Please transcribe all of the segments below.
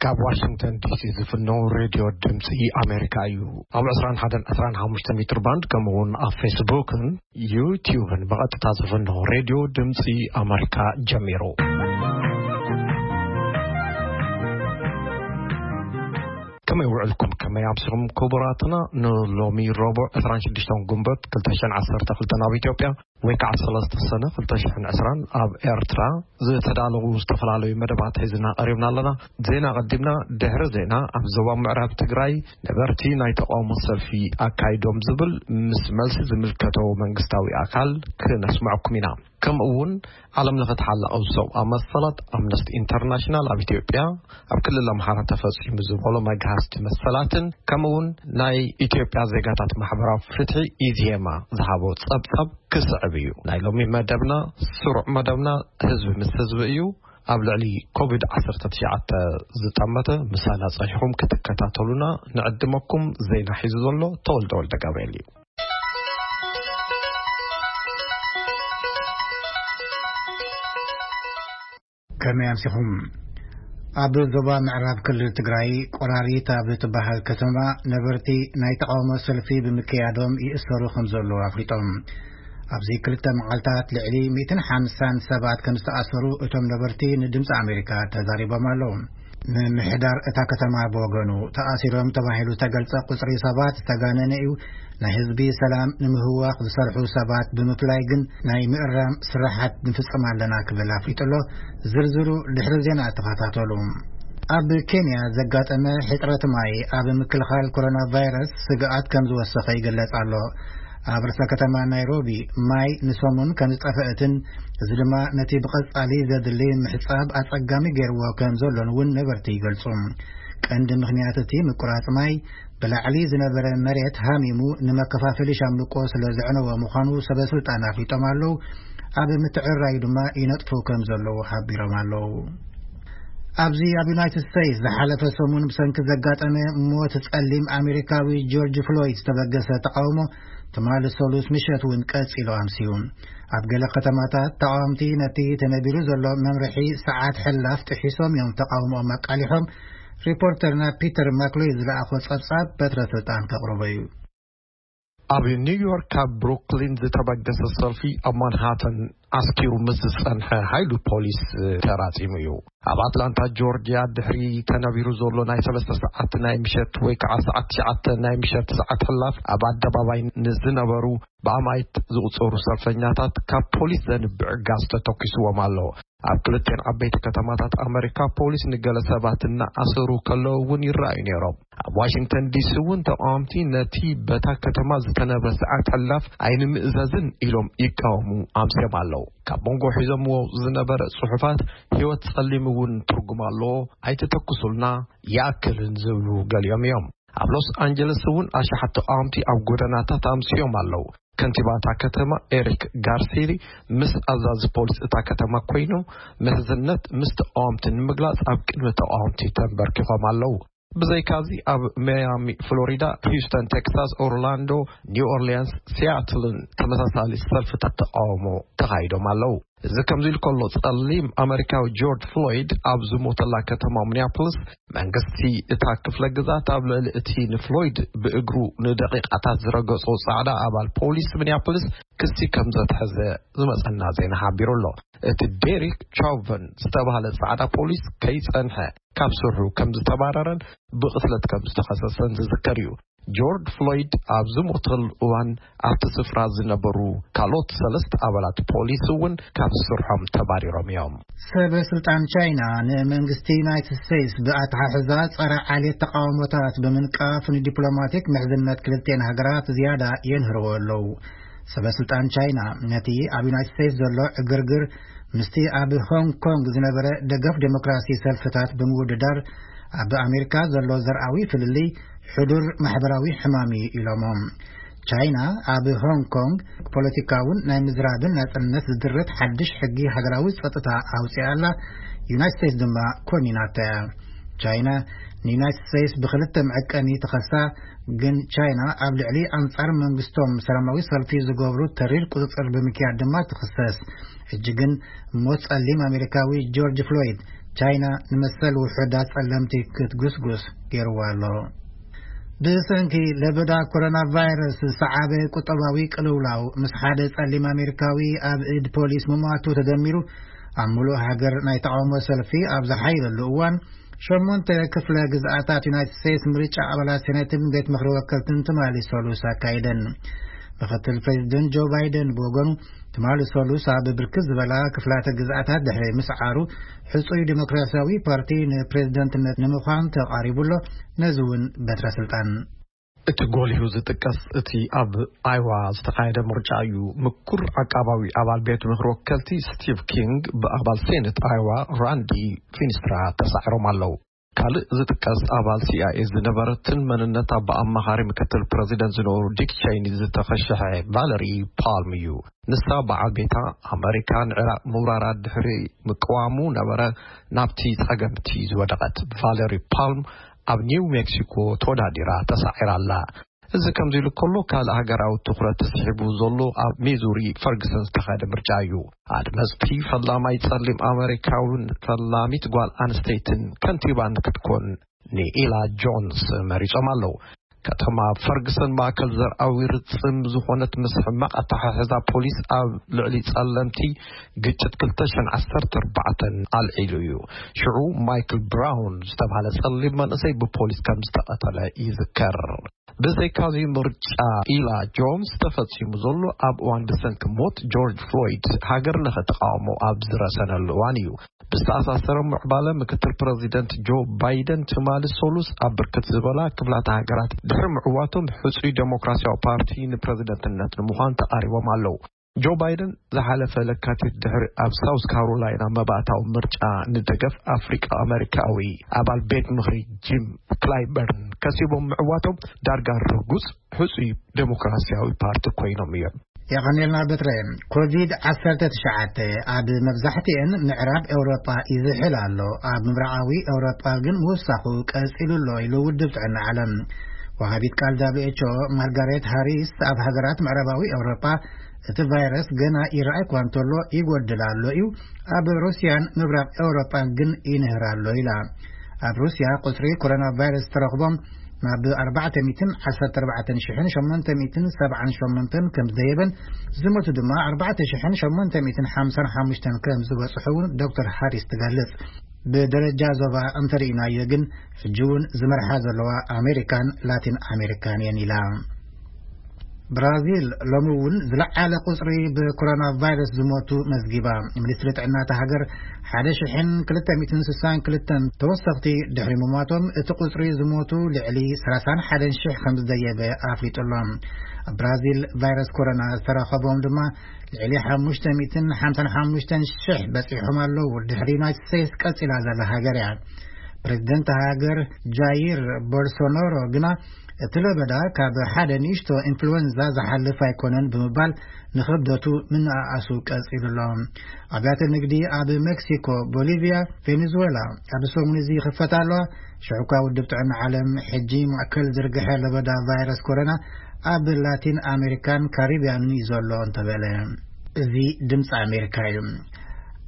ካብ ዋሽንግተን ዲሲ ዝፍነው ሬድዮ ድምፂ ኣሜሪካ እዩ። ኣብ ዕስራን ሓደን ዕስራን ሓሙሽተ ሜትር ባንድ፣ ከምኡ እውን ኣብ ፌስቡክን ዩቲዩብን ብቐጥታ ዝፍነው ሬድዮ ድምፂ ኣሜሪካ ጀሚሩ። ከመይ ውዕልኩም? ከመይ ኣምሲኹም ክቡራትና? ንሎሚ ረቡዕ ዕስራን ሽዱሽተን ጉንበት ክልተ ሽሕን ዓሰርተ ክልተን ኣብ ኢትዮጵያ፣ ወይ ከዓ ሰለስተ ሰነ ክልተ ሽሕን ዕስራን ኣብ ኤርትራ ዝተዳለዉ ዝተፈላለዩ መደባት ሒዝና ቀሪብና ኣለና። ዜና ቀዲምና፣ ድሕሪ ዜና ኣብ ዞባ ምዕራብ ትግራይ ነበርቲ ናይ ተቃውሞ ሰልፊ ኣካይዶም ዝብል ምስ መልሲ ዝምልከቶ መንግስታዊ ኣካል ክነስምዐኩም ኢና። ከምኡ እውን ዓለም ለኸ ተሓላቒ ሰብኣዊ መሰላት ኣምነስቲ ኢንተርናሽናል ኣብ ኢትዮጵያ ኣብ ክልል ኣምሓራ ተፈጺሙ ዝበሎ መግሃስቲ መሰላትን ከምኡ እውን ናይ ኢትዮጵያ ዜጋታት ማሕበራዊ ፍትሒ ኢዜማ ዝሃቦ ጸብጻብ ክስዕብ እዩ። ናይ ሎሚ መደብና ስሩዕ መደብና ህዝቢ ምስ ህዝቢ እዩ። ኣብ ልዕሊ ኮቪድ ዓሰርተ ትሽዓተ ዝጠመተ ምሳና ጸኒሕኩም ክትከታተሉና ንዕድመኩም። ዜና ሒዙ ዘሎ ተወልደ ወልደ ጋብርኤል እዩ። ከመይ ኣምሲኹም? ኣብ ዞባ ምዕራብ ክልል ትግራይ ቆራሪት ኣብ እትበሃል ከተማ ነበርቲ ናይ ተቃውሞ ሰልፊ ብምክያዶም ይእሰሩ ከም ዘለዉ ኣፍሊጦም። ኣብዚ ክልተ መዓልታት ልዕሊ ሚእትን ሓምሳን ሰባት ከም ዝተኣሰሩ እቶም ነበርቲ ንድምፂ ኣሜሪካ ተዛሪቦም ኣለዉ። ምምሕዳር እታ ከተማ ብወገኑ፣ ተኣሲሮም ተባሂሉ ተገልጸ ቁጽሪ ሰባት ዝተጋነነ እዩ። ናይ ህዝቢ ሰላም ንምህዋኽ ዝሰርሑ ሰባት ብምፍላይ ግን ናይ ምእራም ስራሓት ንፍጽም ኣለና ክብል ኣፍሊጡ ኣሎ። ዝርዝሩ ድሕሪ ዜና ተኸታተሉ። ኣብ ኬንያ ዘጋጠመ ሕጽረት ማይ ኣብ ምክልኻል ኮሮና ቫይረስ ስግኣት ከም ዝወሰኸ ይግለጽ ኣሎ። ኣብ ርእሰ ከተማ ናይሮቢ ማይ ንሰሙን ከም ዝጠፍአትን፣ እዚ ድማ ነቲ ብቐጻሊ ዘድሊ ምሕጻብ ኣጸጋሚ ገይርዎ ከም ዘሎን እውን ነበርቲ ይገልጹ። ቀንዲ ምኽንያት እቲ ምቁራጽ ማይ ብላዕሊ ዝነበረ መሬት ሃሚሙ ንመከፋፈሊ ሻምብቆ ስለ ዘዕነወ ምዃኑ ሰበ ስልጣን ኣፍሊጦም ኣለዉ። ኣብ ምትዕርራዩ ድማ ይነጥፉ ከም ዘለዉ ሓቢሮም ኣለዉ። ኣብዚ ኣብ ዩናይትድ ስቴትስ ዝሓለፈ ሰሙን ብሰንኪ ዘጋጠመ ሞት ጸሊም ኣሜሪካዊ ጆርጅ ፍሎይድ ዝተበገሰ ተቃውሞ ትማሊ ሰሉስ ምሸት እውን ቀጺሉ ኣምስዩ። ኣብ ገለ ከተማታት ተቃወምቲ ነቲ ተነቢሩ ዘሎ መምርሒ ሰዓት ሕላፍ ጥሒሶም እዮም ተቃውሞኦም ኣቃሊሖም። ሪፖርተርና ፒተር ማክሎይ ዝለኣኾ ጸብጻብ በትረ ስልጣን ከቕርቦ እዩ። ኣብ ኒውዮርክ ካብ ብሩክሊን ዝተበገሰ ሰልፊ ኣብ ማንሃተን ዓስኪሩ ምስ ዝጸንሐ ሓይሉ ፖሊስ ተራጺሙ እዩ። ኣብ ኣትላንታ ጆርጅያ ድሕሪ ተነቢሩ ዘሎ ናይ ሰለስተ ሰዓት ናይ ምሸት ወይ ከዓ ሰዓት ትሽዓተ ናይ ምሸት ሰዓት ሕላፍ ኣብ ኣደባባይ ንዝነበሩ ብኣማይት ዝቑጸሩ ሰልፈኛታት ካብ ፖሊስ ዘንብዕ ጋዝ ተተኪስዎም ኣሎ። ኣብ ክልቲኣን ዓበይቲ ከተማታት ኣመሪካ ፖሊስ ንገለ ሰባት እናኣሰሩ ከለዉ እውን ይረኣዩ ነይሮም። ኣብ ዋሽንግተን ዲሲ እውን ተቃወምቲ ነቲ በታ ከተማ ዝተነብረ ሰዓት ሕላፍ ኣይንምእዘዝን ኢሎም ይቃወሙ ኣምስዮም ኣለዉ። ካብ መንጎ ሒዞምዎ ዝነበረ ጽሑፋት "ህይወት ጸሊም እውን ትርጉም ኣለዎ፣ ኣይትተኩሱልና፣ ይኣክልን" ዝብሉ ገሊኦም እዮም። ኣብ ሎስ ኣንጀለስ እውን ኣሽሓት ተቃወምቲ ኣብ ጎደናታት ኣምስዮም ኣለዉ። ከንቲባ እታ ከተማ ኤሪክ ጋርሲሊ ምስ ኣዛዚ ፖሊስ እታ ከተማ ኮይኑ፣ ምሕዝነት ምስ ተቃወምቲ ንምግላጽ ኣብ ቅድሚ ተቃወምቲ ተንበርኪኾም ኣለዉ። ብዘይካዚ ኣብ ማያሚ ፍሎሪዳ፣ ሂውስተን ቴክሳስ፣ ኦርላንዶ፣ ኒው ኦርሊያንስ፣ ሲያትልን ተመሳሳሊ ሰልፍታት ተቃውሞ ተኻይዶም ኣለዉ። እዚ ከምዚ ኢሉ ከሎ፣ ጸሊም ኣመሪካዊ ጆርጅ ፍሎይድ ኣብ ዝሞተላ ከተማ ሚኒያፖሊስ፣ መንግስቲ እታ ክፍለ ግዛት ኣብ ልዕሊ እቲ ንፍሎይድ ብእግሩ ንደቂቃታት ዝረገጾ ጻዕዳ ኣባል ፖሊስ ሚኒያፖሊስ ክሲ ከም ዘትሐዘ ዝመጸና ዜና ሓቢሩ ኣሎ። እቲ ዴሪክ ቻውቨን ዝተባህለ ጻዕዳ ፖሊስ ከይጸንሐ ካብ ስርሑ ከም ዝተባረረን ብቕትለት ከም ዝተኸሰሰን ዝዝከር እዩ። ጆርጅ ፍሎይድ ኣብ ዝሞተሉ እዋን ኣብቲ ስፍራ ዝነበሩ ካልኦት ሰለስተ ኣባላት ፖሊስ እውን ካብ ስርሖም ተባሪሮም እዮም። ሰበ ስልጣን ቻይና ንመንግስቲ ዩናይትድ ስቴትስ ብኣተሓሕዛ ጸረ ዓሌት ተቃውሞታት ብምንቃፍ ንዲፕሎማቲክ ምሕዝነት ክልቲኤን ሃገራት ዝያዳ የንህርዎ ኣለዉ። ሰበ ስልጣን ቻይና ነቲ ኣብ ዩናይትድ ስቴትስ ዘሎ ዕግርግር ምስቲ ኣብ ሆንግ ኮንግ ዝነበረ ደገፍ ዴሞክራሲ ሰልፍታት ብምውድዳር ኣብ ኣሜሪካ ዘሎ ዘርኣዊ ፍልልይ ሕዱር ማሕበራዊ ሕማም እዩ ኢሎሞ። ቻይና ኣብ ሆንግ ኮንግ ፖለቲካውን ናይ ምዝራብን ናጽነት ዝድርት ሓድሽ ሕጊ ሃገራዊ ጸጥታ ኣውጺኣ ኣላ። ዩናይትድ ስቴትስ ድማ ኮኒናታ እያ። ቻይና ንዩናይትድ ስቴትስ ብክልተ መዐቀኒ ትኸሳ፣ ግን ቻይና ኣብ ልዕሊ ኣንጻር መንግስቶም ሰላማዊ ሰልፊ ዝገብሩ ተሪር ቁጽጽር ብምክያድ ድማ ትኽሰስ። ሕጂ ግን ሞት ጸሊም ኣሜሪካዊ ጆርጅ ፍሎይድ ቻይና ንመሰል ውሑዳት ጸለምቲ ክትጉስጉስ ገይርዋ ኣሎ። ብሰንኪ ለበዳ ኮሮና ቫይረስ ዝሰዓበ ቁጠባዊ ቅልውላው፣ ምስ ሓደ ጸሊም ኣሜሪካዊ ኣብ ኢድ ፖሊስ ምሟቱ ተደሚሩ፣ ኣብ ሙሉእ ሃገር ናይ ተቃውሞ ሰልፊ ኣብ ዝሓየለሉ እዋን፣ ሸሞንተ ክፍለ ግዝኣታት ዩናይትድ ስቴትስ ምርጫ ኣባላት ሴኔትን ቤት ምኽሪ ወከልትን ትማሊ ሰሉስ ኣካይደን። ምክትል ፕሬዚደንት ጆ ባይደን ብወገኑ፣ ትማሊ ሰሉስ ኣብ ብርክት ዝበላ ክፍላተ ግዝኣታት ድሕሪ ምስዓሩ፣ ሕጹይ ዲሞክራሲያዊ ፓርቲ ንፕሬዚደንትነት ንምዃን ተቓሪቡ ኣሎ። ነዚ እውን በትረ ስልጣን። እቲ ጎሊሁ ዝጥቀስ፣ እቲ ኣብ ኣይዋ ዝተኻየደ ምርጫ እዩ። ምኩር ዓቃባዊ ኣባል ቤት ምኽሪ ወከልቲ ስቲቭ ኪንግ ብኣባል ሴኔት ኣይዋ ራንዲ ፊንስትራ ተሳዒሮም ኣለዉ። ካልእ ዝጥቀስ ኣባል ሲ ኣይ ኤ ዝነበረትን መንነታ ብኣማኻሪ ምክትል ፕረዚደንት ዝነበሩ ዲክ ቸይኒ ዝተኸሸሐ ቫለሪ ፓልም እዩ። ንሳ በዓል ቤታ፣ ኣመሪካ ንዕራቕ ምውራራ ድሕሪ ምቅዋሙ ነበረ ናብቲ ጸገምቲ ዝወደቐት። ቫለሪ ፓልም ኣብ ኒው ሜክሲኮ ተወዳዲራ ተሳዒራ ኣላ። እዚ ከምዚ ኢሉ ከሎ፣ ካልእ ሃገራዊ ትኹረት ተስሒቡ ዘሎ ኣብ ሚዙሪ ፈርግሰን ዝተኻየደ ምርጫ እዩ። ኣድመፅቲ ፈላማይ ጸሊም ኣመሪካውን ፈላሚት ጓል ኣንስተይትን ከንቲባን ክትኮን ንኢላ ጆንስ መሪጾም ኣለዉ። ከተማ ፈርግሰን ማእከል ዘርኣዊ ርጽም ዝኾነት፣ ምስ ሕማቕ ኣተሓሕዛ ፖሊስ ኣብ ልዕሊ ጸለምቲ ግጭት ክልተ ሽሕን ዓሰርተ ኣርባዕተን ኣልዒሉ እዩ። ሽዑ ማይክል ብራውን ዝተባህለ ጸሊም መንእሰይ ብፖሊስ ከም ዝተቐተለ ይዝከር። ብዘይካዚ፣ ምርጫ ኢላ ጆንስ ተፈጺሙ ዘሎ ኣብ እዋን ብሰንኪ ሞት ጆርጅ ፍሎይድ ሃገር ለኸ ተቃውሞ ኣብ ዝረሰነሉ እዋን እዩ። ብዝተኣሳሰረ ምዕባለ፣ ምክትል ፕረዚደንት ጆ ባይደን ትማሊ ሰሉስ ኣብ ብርክት ዝበላ ክፍላተ ሃገራት ድሕሪ ምዕዋቶም፣ ሕጹይ ዴሞክራሲያዊ ፓርቲ ንፕረዚደንትነት ንምዃን ተቓሪቦም ኣለዉ። ጆ ባይደን ዝሓለፈ ለካቲት ድሕሪ ኣብ ሳውስ ካሮላይና መባእታዊ ምርጫ ንደገፍ ኣፍሪቃ ኣመሪካዊ ኣባል ቤት ምኽሪ ጂም ክላይበርን ከሲቦም ምዕዋቶም፣ ዳርጋ ርጉጽ ሕጹይ ዴሞክራሲያዊ ፓርቲ ኮይኖም እዮም። የቐኔልና በትረ። ኮቪድ ዓሰርተ ትሽዓተ ኣብ መብዛሕትኤን ምዕራብ ኤውሮጳ ይዝሕል ኣሎ፣ ኣብ ምብራቓዊ ኤውሮጳ ግን ምውሳኹ ቀጺሉ ኣሎ ኢሉ ውድብ ጥዕና ዓለም። ወሃቢት ቃል ደብሊው ኤች ኦ ማርጋሬት ሃሪስ፣ ኣብ ሃገራት ምዕራባዊ ኤውሮጳ እቲ ቫይረስ ገና ይረኣይ እኳ እንተሎ ይጎድል ኣሎ እዩ፣ ኣብ ሩስያን ምብራቕ ኤውሮጳን ግን ይንህር ኣሎ ኢላ። ኣብ ሩስያ ቁጽሪ ኮሮና ቫይረስ ዝተረኽቦም ናብ ኣርባዕተ ሚእትን ዓሰርተ ኣርባዕተን ሽሕን ሸሞንተ ሚእትን ሰብዓን ሸሞንተን ከም ዝደየበን፣ ዝሞቱ ድማ ኣርባዕተ ሽሕን ሸሞንተ ሚእትን ሓምሳን ሓሙሽተን ከም ዝበጽሑ እውን ዶክተር ሃሪስ ትገልጽ። ብደረጃ ዞባ እንተርኢናዮ ግን፣ ሕጂ እውን ዝመርሓ ዘለዋ ኣሜሪካን ላቲን ኣሜሪካን እየን ኢላ። ብራዚል ሎሚ እውን ዝለዓለ ቁጽሪ ብኮሮና ቫይረስ ዝሞቱ መዝጊባ። ሚኒስትሪ ጥዕና እታ ሃገር ሓደ ሽሕን ክልተ ሚእትን ስሳን ክልተን ተወሰኽቲ ድሕሪ ምሟቶም፣ እቲ ቁጽሪ ዝሞቱ ልዕሊ ሰላሳን ሓደን ሽሕ ከም ዝደየበ ኣፍሊጡ ኣሎ። ኣብ ብራዚል ቫይረስ ኮሮና ዝተረኸቦም ድማ ልዕሊ ሓሙሽተ ሚእትን ሓምሳን ሓሙሽተን ሽሕ በጺሖም ኣለዉ። ድሕሪ ዩናይትድ ስቴትስ ቀጺላ ዘላ ሃገር እያ። ፕሬዚደንት ሃገር ጃይር ቦልሶናሮ ግና፣ እቲ ለበዳ ካብ ሓደ ንእሽቶ ኢንፍሉዌንዛ ዝሓልፍ ኣይኮነን ብምባል፣ ንኽብደቱ ምንኣኣሱ ቀጺሉ ኣሎ። ኣብያተ ንግዲ ኣብ ሜክሲኮ፣ ቦሊቪያ፣ ቬኔዙዌላ ኣብ ሰሙን እዚ ይኽፈታ ኣለዋ። ሽዑ እኳ ውድብ ጥዕና ዓለም፣ ሕጂ ማእከል ዝርግሐ ለበዳ ቫይረስ ኮሮና ኣብ ላቲን ኣሜሪካን ካሪብያንን እዩ ዘሎ እንተበለ። እዚ ድምፂ ኣሜሪካ እዩ።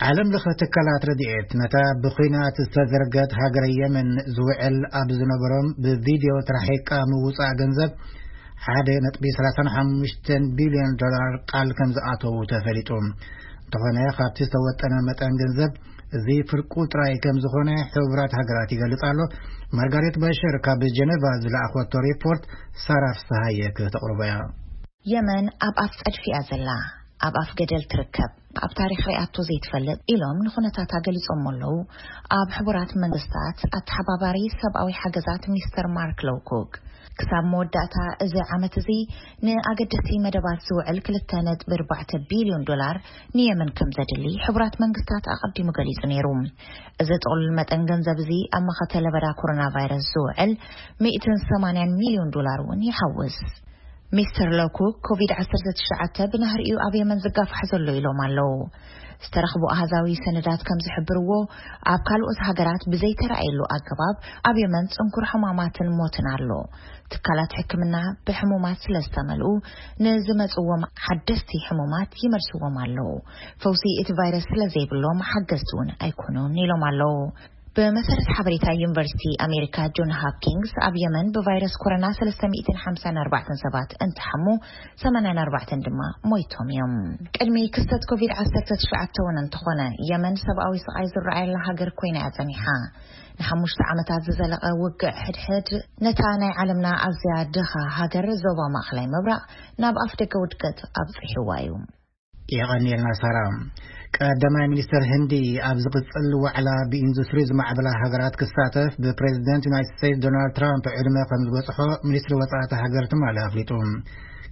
ዓለም ለኸ ትካላት ረድኤት፣ ነታ ብኹናት ዝተዘርገት ሃገረ የመን ዝውዕል ኣብ ዝነበሮም ብቪድዮ ተራሒቃ ምውፃእ ገንዘብ ሓደ ነጥቢ ሰላሳን ሓሙሽተን ቢልዮን ዶላር ቃል ከም ዝኣተዉ ተፈሊጡ። እንተኾነ፣ ካብቲ ዝተወጠነ መጠን ገንዘብ፣ እዚ ፍርቁ ጥራይ ከም ዝኾነ ሕቡራት ሃገራት ይገልጽ ኣሎ። ማርጋሬት በሽር ካብ ጀነቫ ዝለኣኾቶ ሪፖርት ሳራ ፍስሃየ ክተቕርቦ እያ። የመን ኣብ ኣፍ ጸድፊ እያ ዘላ፣ ኣብ ኣፍ ገደል ትርከብ፣ ኣብ ታሪኽ ሪኣቶ ዘይትፈልጥ ኢሎም ንኹነታታ ገሊጾም ኣለዉ። ኣብ ሕቡራት መንግስታት ኣተሓባባሪ ሰብኣዊ ሓገዛት ሚስተር ማርክ ሎውኮክ፣ ክሳብ መወዳእታ እዚ ዓመት እዚ ንኣገደስቲ መደባት ዝውዕል ክልተ ነጥቢ ኣርባዕተ ቢልዮን ዶላር ንየመን ከም ዘድሊ ሕቡራት መንግስታት ኣቐዲሙ ገሊጹ ነይሩ። እዚ ጥቕሉል መጠን ገንዘብ እዚ ኣብ መኸተ ለበዳ ኮሮና ቫይረስ ዝውዕል ሚእትን ሰማንያን ሚልዮን ዶላር እውን ይሓውስ። ሚስተር ሎኩ፣ ኮቪድ ዓሰርተ ትሽዓተ ብናህሪኡ ኣብ የመን ዝጋፋሕ ዘሎ ኢሎም ኣለዉ። ዝተረኽቡ ኣሃዛዊ ሰነዳት ከም ዝሕብርዎ፣ ኣብ ካልኦት ሃገራት ብዘይተራእየሉ ኣገባብ ኣብ የመን ጽንኩር ሕማማትን ሞትን ኣሎ። ትካላት ሕክምና ብሕሙማት ስለ ዝተመልኡ፣ ንዝመጽዎም ሓደስቲ ሕሙማት ይመልስዎም ኣለዉ። ፈውሲ እቲ ቫይረስ ስለ ዘይብሎም ሓገዝቲ እውን ኣይኮኑን ኢሎም ኣለዉ። ብመሰረት ሓበሬታ ዩኒቨርሲቲ ኣሜሪካ ጆን ሃፕኪንግስ፣ ኣብ የመን ብቫይረስ ኮሮና ሰለስተ ሚእትን ሓምሳን ኣርባዕተን ሰባት እንትሓሙ፣ ሰማንያን ኣርባዕተን ድማ ሞይቶም እዮም። ቅድሚ ክስተት ኮቪድ ዓሰርተ ትሽዓተ እውን እንተኾነ፣ የመን ሰብኣዊ ስቓይ ዝረኣየላ ሃገር ኮይና እያ ጸኒሓ። ንሓሙሽተ ዓመታት ዝዘለቐ ውግእ ሕድሕድ፣ ነታ ናይ ዓለምና ኣዝያ ድኻ ሃገር ዞባ ማእኸላይ ምብራቕ ናብ ኣፍ ደገ ውድቀት ኣብጺሕዋ እዩ። የቐንየልና ሳራ። ቀዳማይ ሚኒስተር ህንዲ ኣብ ዝቕጽል ዋዕላ ብኢንዱስትሪ ዝማዕበላ ሃገራት ክሳተፍ ብፕሬዚደንት ዩናይትድ ስቴትስ ዶናልድ ትራምፕ ዕድመ ከም ዝበጽሖ ሚኒስትሪ ወጻኢ እታ ሃገር ትማሊ ኣፍሊጡ።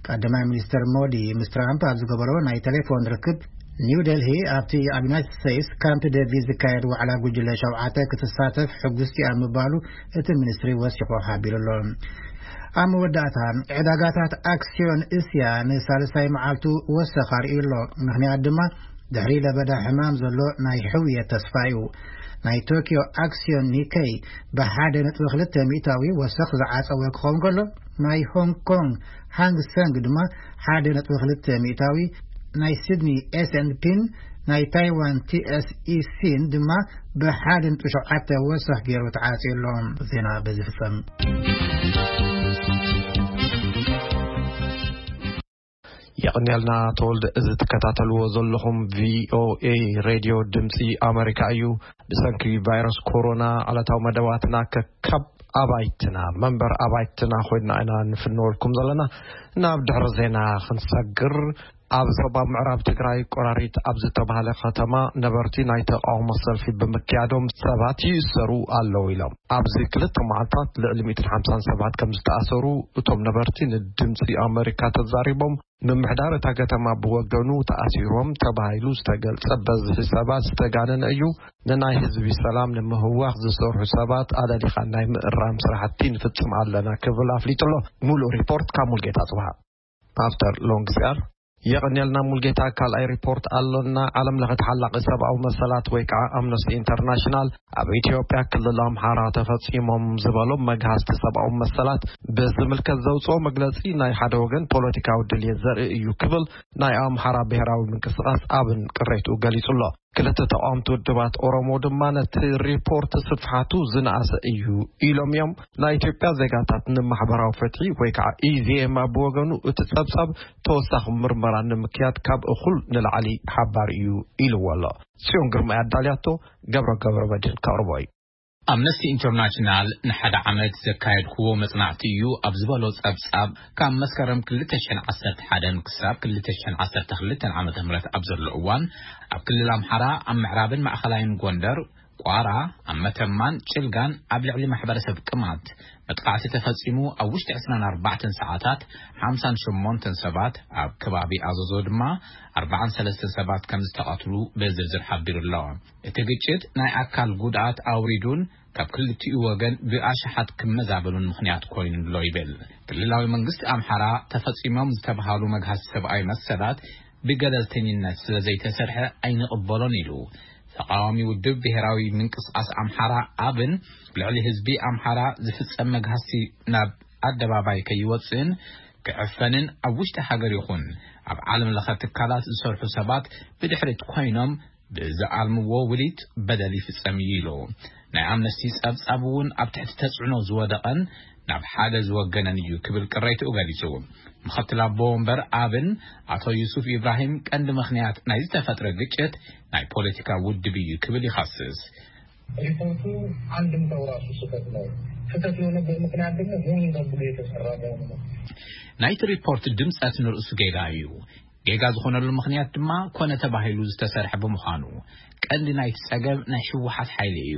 ቀዳማይ ሚኒስተር ሞዲ ምስ ትራምፕ ኣብ ዝገበሮ ናይ ቴሌፎን ርክብ፣ ኒው ደልሂ ኣብቲ ኣብ ዩናይትድ ስቴትስ ካምፕ ዴቪድ ዝካየድ ዋዕላ ጉጅለ ሸውዓተ ክትሳተፍ ሕጉስቲ ኣብ ምባሉ እቲ ሚኒስትሪ ወሲኹ ሓቢሩ ኣሎ። ኣብ መወዳእታ፣ ዕዳጋታት ኣክስዮን እስያ ንሳልሳይ መዓልቱ ወሰኽ ኣርእዩ ኣሎ። ምኽንያት ድማ፣ ድሕሪ ለበዳ ሕማም ዘሎ ናይ ሕውየት ተስፋ እዩ። ናይ ቶኪዮ ኣክስዮን ኒከይ ብሓደ ነጥቢ ክልተ ሚእታዊ ወሰኽ ዝዓጸወ ክኸውን ከሎ፣ ናይ ሆንግ ኮንግ ሃንግ ሰንግ ድማ ሓደ ነጥቢ ክልተ ሚእታዊ፣ ናይ ሲድኒ ኤስ ኤንድ ፒን ናይ ታይዋን ቲ ኤስ ኢ ሲን ድማ ብሓደ ነጥቢ ሸውዓተ ወሰኽ ገይሩ ተዓጽዩ ኣሎ። ዜና በዚ ፍጸም። የቐንየልና ተወልደ። እዚ ትከታተልዎ ዘለኹም ቪኦኤ ሬድዮ ድምፂ ኣሜሪካ እዩ። ብሰንኪ ቫይረስ ኮሮና ዕለታዊ መደባትና ከካብ ኣባይትና፣ መንበር ኣባይትና ኮይና ኢና ንፍንወልኩም ዘለና። ናብ ድሕሪ ዜና ክንሰግር፣ ኣብ ዞባ ምዕራብ ትግራይ ቆራሪት ኣብ ዝተባህለ ከተማ ነበርቲ ናይ ተቃውሞ ሰልፊ ብምክያዶም ሰባት ይእሰሩ ኣለዉ ኢሎም። ኣብዚ ክልተ መዓልታት ልዕሊ ሚእትን ሓምሳን ሰባት ከም ዝተኣሰሩ እቶም ነበርቲ ንድምፂ ኣሜሪካ ተዛሪቦም። ምምሕዳር እታ ከተማ ብወገኑ ተኣሲሮም ተባሂሉ ዝተገልጸ በዝሒ ሰባት ዝተጋነነ እዩ። ንናይ ህዝቢ ሰላም ንምህዋኽ ዝሰርሑ ሰባት ኣለሊኻ ናይ ምእራም ስራሕቲ ንፍጽም ኣለና ክብል ኣፍሊጡ ኣሎ። ሙሉእ ሪፖርት ካብ ሙልጌታ ጽብሃ። ኣፍተር ሎንግ ስያር። የቐንየልና ሙልጌታ። ካልኣይ ሪፖርት ኣሎና። ዓለም ለኸ ተሓላቒ ሰብኣዊ መሰላት ወይ ከዓ ኣምነስቲ ኢንተርናሽናል ኣብ ኢትዮጵያ ክልል ኣምሓራ ተፈጺሞም ዝበሎም መግሃስቲ ሰብኣዊ መሰላት ብዝምልከት ዘውፅኦ መግለፂ ናይ ሓደ ወገን ፖለቲካዊ ድልየት ዘርኢ እዩ ክብል ናይ ኣምሓራ ብሔራዊ ምንቅስቃስ ኣብን ቅሬትኡ ገሊጹ ኣሎ። ክልተ ተቃወምቲ ውድባት ኦሮሞ ድማ ነቲ ሪፖርት ስፍሓቱ ዝነኣሰ እዩ ኢሎም እዮም። ናይ ኢትዮጵያ ዜጋታት ንማሕበራዊ ፍትሒ ወይ ከዓ ኢዜማ ብወገኑ እቲ ጸብጻብ ተወሳኺ ምርመራ ንምክያድ ካብ እኹል ንላዕሊ ሓባር እዩ ኢልዎ ኣሎ። ጽዮን ግርማ ኣዳልያቶ፣ ገብረ ገብረ መድህን ከቕርቦ እዩ። ኣምነስቲ ኢንተርናሽናል ንሓደ ዓመት ዘካየድክዎ መጽናዕቲ እዩ ኣብ ዝበሎ ጸብጻብ፣ ካብ መስከረም ክልተ ሽሕን ዓሰርተ ሓደን ክሳብ ክልተ ሽሕን ዓሰርተ ክልተን ዓመተ ምህረት ኣብ ዘሎ እዋን፣ ኣብ ክልል ኣምሓራ፣ ኣብ ምዕራብን ማእኸላይን ጎንደር፣ ቋራ፣ ኣብ መተማን ጭልጋን ኣብ ልዕሊ ማሕበረሰብ ቅማንት መጥቃዕቲ ተፈጺሙ፣ ኣብ ውሽጢ ዕስራን ኣርባዕተን ሰዓታት ሓምሳን ሸሞንተን ሰባት፣ ኣብ ከባቢ ኣዘዞ ድማ ኣርባዓን ሰለስተን ሰባት ከም ዝተቐትሉ ብዝርዝር ሓቢሩ ኣሎ። እቲ ግጭት ናይ ኣካል ጉድኣት ኣውሪዱን ካብ ክልቲኡ ወገን ብኣሽሓት ክመዛበሉን ምኽንያት ኮይኑ ኣሎ ይብል። ክልላዊ መንግስቲ ኣምሓራ ተፈጺሞም ዝተብሃሉ መግሃስ ሰብኣዊ መሰላት ብገለልተኝነት ስለ ዘይተሰርሐ ኣይንቕበሎን ኢሉ። ተቃዋሚ ውድብ ብሔራዊ ምንቅስቃስ ኣምሓራ ኣብን ልዕሊ ህዝቢ ኣምሓራ ዝፍጸም መግሃስቲ ናብ ኣደባባይ ከይወጽእን ክዕፈንን ኣብ ውሽጢ ሃገር ይኹን ኣብ ዓለም ለኸ ትካላት ዝሰርሑ ሰባት ብድሕሪት ኮይኖም ብዝኣልምዎ ውዲት በደል ይፍጸም እዩ ኢሉ። ናይ ኣምነስቲ ጸብጻብ እውን ኣብ ትሕቲ ተጽዕኖ ዝወደቐን ናብ ሓደ ዝወገነን እዩ ክብል ቅሬትኡ ገሊጹ። ምኽትል ኣቦ ወንበር ኣብን ኣቶ ዩሱፍ ኢብራሂም ቀንዲ ምኽንያት ናይ ዝተፈጥረ ግጭት ናይ ፖለቲካ ውድብ እዩ ክብል ይኸስስ። ሪፖርቱ አንድምታው ራሱ ስህተት ነው። ስህተት የሆነበት ምክንያት ደግሞ ሆን ተብሎ የተሰራ መሆኑ ነው። ናይቲ ሪፖርት ድምጸት ንርእሱ ጌጋ እዩ። ጌጋ ዝኾነሉ ምኽንያት ድማ ኮነ ተባሂሉ ዝተሰርሐ ብምዃኑ፣ ቀንዲ ናይቲ ጸገም ናይ ህወሓት ሓይሊ እዩ።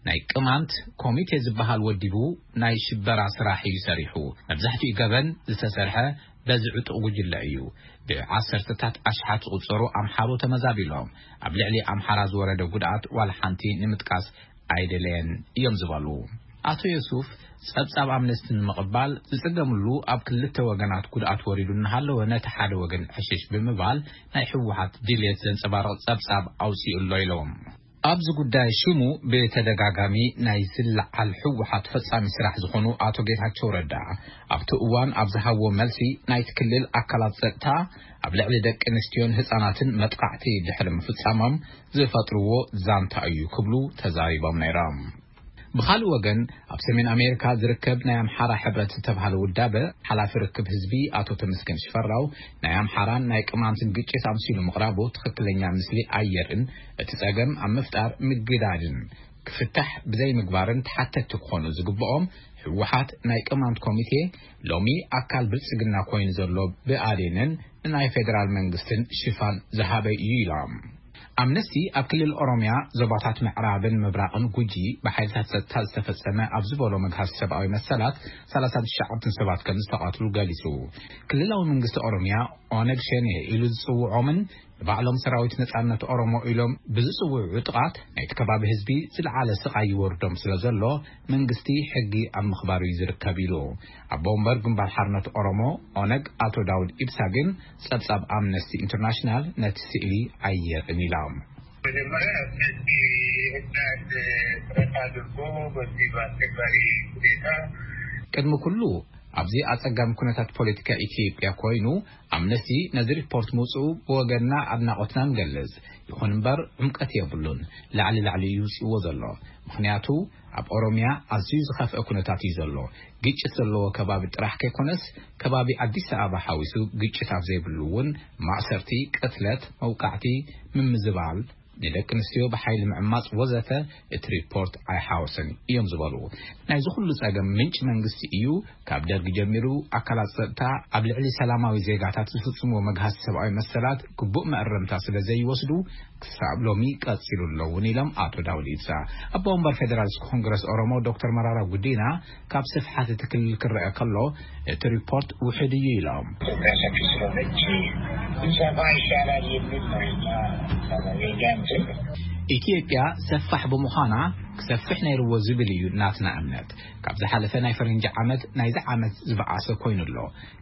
ናይ ቅማንት ኮሚቴ ዝበሃል ወዲቡ ናይ ሽበራ ስራሕ እዩ ሰሪሑ። መብዛሕትኡ ገበን ዝተሰርሐ በዚ ዕጡቕ ጉጅለ እዩ። ብዓሰርተታት ኣሽሓት ዝቑጸሩ ኣምሓሩ ተመዛቢሎም። ኣብ ልዕሊ ኣምሓራ ዝወረደ ጉድኣት ዋላ ሓንቲ ንምጥቃስ ኣይደለየን እዮም ዝበሉ። ኣቶ የሱፍ ጸብጻብ ኣምነስቲ ንምቕባል ዝጽገምሉ ኣብ ክልተ ወገናት ጉድኣት ወሪዱ እናሃለወ፣ ነቲ ሓደ ወገን ዕሽሽ ብምባል ናይ ህወሓት ድልየት ዘንጸባርቕ ጸብጻብ ኣውጺኡ ኣሎ ኢሎም። ኣብዚ ጉዳይ ሽሙ ብተደጋጋሚ ናይ ዝለዓል ህወሓት ፈጻሚ ስራሕ ዝኾኑ ኣቶ ጌታቸው ረዳ ኣብቲ እዋን ኣብ ዝሃብዎ መልሲ፣ ናይቲ ክልል ኣካላት ጸጥታ ኣብ ልዕሊ ደቂ ኣንስትዮን ህጻናትን መጥቃዕቲ ድሕሪ ምፍጻሞም ዝፈጥርዎ ዛንታ እዩ ክብሉ ተዛሪቦም ነይሮም። ብኻልእ ወገን፣ ኣብ ሰሜን ኣሜሪካ ዝርከብ ናይ ኣምሓራ ሕብረት ዝተባህለ ውዳበ ሓላፊ ርክብ ህዝቢ ኣቶ ተመስገን ሽፈራው፣ ናይ ኣምሓራን ናይ ቅማንትን ግጭት ኣምሲሉ ምቕራቡ ትኽክለኛ ምስሊ ኣየርእን፣ እቲ ጸገም ኣብ ምፍጣር ምግዳድን ክፍታሕ ብዘይምግባርን ተሓተትቲ ክኾኑ ዝግብኦም ህወሓት ናይ ቅማንት ኮሚቴ ሎሚ ኣካል ብልጽግና ኮይኑ ዘሎ ብኣዴንን ናይ ፌደራል መንግስትን ሽፋን ዝሃበ እዩ ኢሎም። ኣምነስቲ ኣብ ክልል ኦሮሚያ ዞባታት ምዕራብን ምብራቕን ጉጂ ብሓይልታት ጸጥታ ዝተፈጸመ ኣብ ዝበሎ መግሃስ ሰብኣዊ መሰላት ሰላሳን ትሽዓተን ሰባት ከም ዝተቐትሉ ገሊጹ። ክልላዊ መንግስቲ ኦሮሚያ ኦነግ ሸኔ ኢሉ ዝጽውዖምን ንባዕሎም ሰራዊት ነጻነት ኦሮሞ ኢሎም ብዝጽውዑ ጥቓት ናይቲ ከባቢ ህዝቢ ዝለዓለ ስቓይ ይወርዶም ስለ ዘሎ መንግስቲ ሕጊ ኣብ ምኽባር እዩ ዝርከብ ኢሉ። ኣቦ ወንበር ግንባር ሓርነት ኦሮሞ ኦነግ ኣቶ ዳውድ ኢብሳ ግን ጸብጻብ ኣምነስቲ ኢንተርናሽናል ነቲ ስእሊ ኣየርእን ኢሎም። መጀመሪያ ህዝቢ ህዳት ጥረት አድርጎ በዚህ በአስቸጋሪ ሁኔታ ቅድሚ ኩሉ ኣብዚ ኣጸጋሚ ኩነታት ፖለቲካ ኢትዮጵያ ኮይኑ ኣምነስቲ ነዚ ሪፖርት ምውጽኡ ብወገንና ኣድናቖትና ንገልጽ። ይኹን እምበር ዕምቀት የብሉን። ላዕሊ ላዕሊ እዩ ይውጽእዎ ዘሎ። ምኽንያቱ ኣብ ኦሮሚያ ኣዝዩ ዝኸፍአ ኩነታት እዩ ዘሎ። ግጭት ዘለዎ ከባቢ ጥራሕ ከይኮነስ ከባቢ ኣዲስ ኣበባ ሓዊሱ ግጭት ኣብ ዘይብሉ እውን ማእሰርቲ፣ ቅትለት፣ መውቃዕቲ፣ ምምዝባል፣ ንደቂ ኣንስትዮ ብሓይሊ ምዕማጽ ወዘተ እቲ ሪፖርት ኣይሓወሰን እዮም ዝበሉ። ናይዚ ኩሉ ጸገም ምንጪ መንግስቲ እዩ። ካብ ደርጊ ጀሚሩ ኣካላት ጸጥታ ኣብ ልዕሊ ሰላማዊ ዜጋታት ዝፍጽምዎ መግሃስ ሰብኣዊ መሰላት ግቡእ መእረምታ ስለ ዘይወስዱ ክሳብ ሎሚ ቀጺሉ ኣለውን ኢሎም ኣቶ ዳውድ ኢብሳ። ኣቦ ወንበር ፌደራሊስት ኮንግረስ ኦሮሞ ዶክተር መራራ ጉዲና ካብ ስፍሓት እቲ ክልል ክረአ ከሎ እቲ ሪፖርት ውሕድ እዩ ኢሎም። ኢትዮጵያ ሰፊ ስለሆነች ቢሰፋ ይሻላል የሚል ነው የኛ፣ የኛ እንትን። ኢትዮጵያ ሰፋሕ ብምዃና ክሰፍሕ ነይርዎ ዝብል እዩ ናትና እምነት። ካብ ዝሓለፈ ናይ ፈረንጂ ዓመት ናይዚ ዓመት ዝበኣሰ ኮይኑ ኣሎ።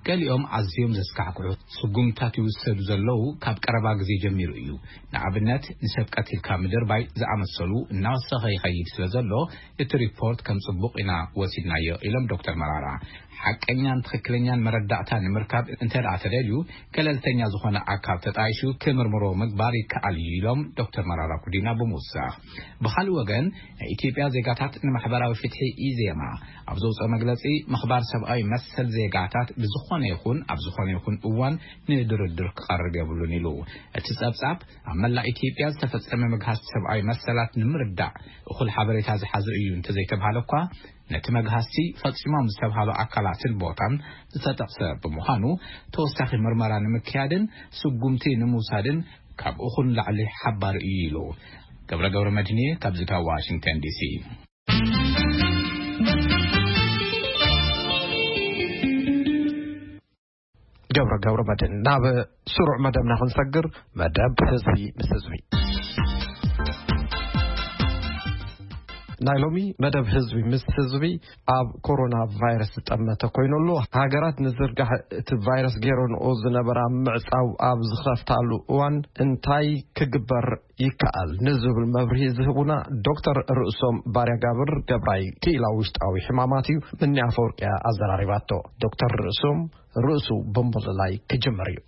ገሊኦም ኣዝዮም ዘስካሕክሑ ስጉምታት ይውሰዱ ዘለዉ ካብ ቀረባ ግዜ ጀሚሩ እዩ። ንኣብነት ንሰብ ቀቲልካ ምድርባይ ዝኣመሰሉ እናወሰኸ ይኸይድ ስለ ዘሎ እቲ ሪፖርት ከም ጽቡቕ ኢና ወሲድናዮ ኢሎም ዶክተር መራራ። ሓቀኛን ትኽክለኛን መረዳእታ ንምርካብ እንተ ደኣ ተደልዩ ገለልተኛ ዝኾነ ኣካል ተጣይሹ ክምርምሮ ምግባር ይከኣል እዩ ኢሎም ዶክተር መራራ ጉዲና ብምውሳኽ። ብኻልእ ወገን ናይ ኢትዮጵያ ዜጋታት ንማሕበራዊ ፍትሒ ኢዜማ ኣብ ዘውፅኦ መግለፂ ምኽባር ሰብኣዊ መሰል ዜጋታት ብዝኾነ ይኹን ኣብ ዝኾነ ይኹን እዋን ንድርድር ክቐርብ የብሉን ኢሉ። እቲ ጸብጻብ ኣብ መላእ ኢትዮጵያ ዝተፈጸመ መግሃስ ሰብኣዊ መሰላት ንምርዳእ እኹል ሓበሬታ ዝሓዘ እዩ እንተዘይተብሃለ እኳ ነቲ መግሃስቲ ፈጺሞም ዝተብሃሉ ኣካላትን ቦታን ዝተጠቕሰ ብምዃኑ ተወሳኺ ምርመራ ንምክያድን ስጉምቲ ንምውሳድን ካብ እኹል ላዕሊ ሓባሪ እዩ ኢሉ። ገብረ ገብረ መድህንየ ካብዚ ካብ ዋሽንግተን ዲሲ። ገብረ ገብረ መድህን። ናብ ስሩዕ መደብና ክንሰግር፣ መደብ ህዝቢ ምስ ህዝቢ። ናይ ሎሚ መደብ ህዝቢ ምስ ህዝቢ ኣብ ኮሮና ቫይረስ ዝጠመተ ኮይኑ ኣሎ። ሃገራት ንዝርጋሕ እቲ ቫይረስ ገይረንኦ ዝነበራ ምዕጻው ኣብ ዝኸፍታሉ እዋን እንታይ ክግበር ይከኣል ንዝብል መብርሂ ዝህቡና ዶክተር ርእሶም ባርያ ጋብር ገብራይ ክኢላ ውሽጣዊ ሕማማት እዩ። ምኒ ኣፈወርቅያ ኣዘራሪባቶ። ዶክተር ርእሶም ርእሱ ብምልላይ ክጅምር እዩ።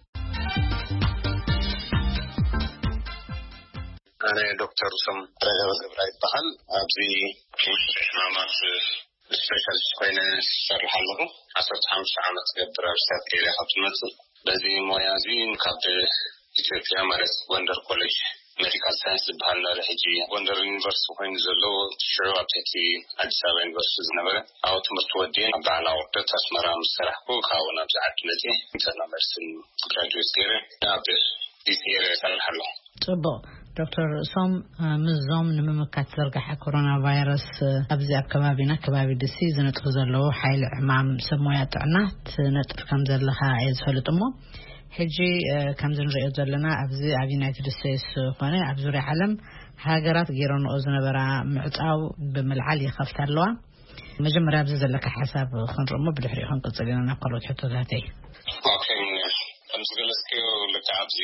ኣነ ዶክተር ርእሶም ባርያ ጋብር ገብራይ ይበሃል። ኣብዚ ውሽጢ ሕማማት ስፔሻሊስት ኮይነ ዝሰርሕ ኣለኹ። ዓሰርተ ሓሙሽተ ዓመት ዝገብር ኣብ ስታት ኤርያ ካብ ትመጽእ። በዚ ሞያ እዚ ካብ ኢትዮጵያ ማለት ጎንደር ኮሌጅ ሜዲካል ሳይንስ ዝበሃል ነሪ ሕጂ ጎንደር ዩኒቨርሲቲ ኮይኑ ዘሎ ሽዑ ኣብ ትሕቲ ኣዲስ ኣበባ ዩኒቨርሲቲ ዝነበረ ኣብኡ ትምህርቲ ወዲኤ ኣብ በዓል ኣቑርደት ኣስመራ ምስ ሰራሕኩ ካብኡ ናብዚ ዓዲ መፅየ ኢንተርናል ሜዲሲን ግራጁዌት ገይረ ኣብ ዲሲ ኤርያ ይሰርሕ ኣለኹ። ጽቡቕ። ዶክተር ርእሶም፣ ምስዞም ንምምካት ዝርግሐ ኮሮና ቫይረስ ኣብዚ ኣብ ከባቢና ከባቢ ዲሲ ዝነጥፉ ዘለዉ ሓይሊ ዕማም ሰብ ሞያ ጥዕና ትነጥፍ ከም ዘለኻ እየ ዝፈልጥ እሞ ሕጂ ከምዚ ንሪኦ ዘለና ኣብዚ ኣብ ዩናይትድ ስቴትስ ኮነ ኣብ ዙርያ ዓለም ሃገራት ገይረንኦ ዝነበራ ምዕጻው ብምልዓል ይኸፍታ ኣለዋ። መጀመርያ ኣብዚ ዘለካ ሓሳብ ክንርኢ እሞ ብድሕሪኡ ክንቅጽል ኢና ናብ ካልኦት ሕቶታተይ። ኦኬ፣ ከም ዝገለጽክዮ፣ ልክዕ ኣብዚ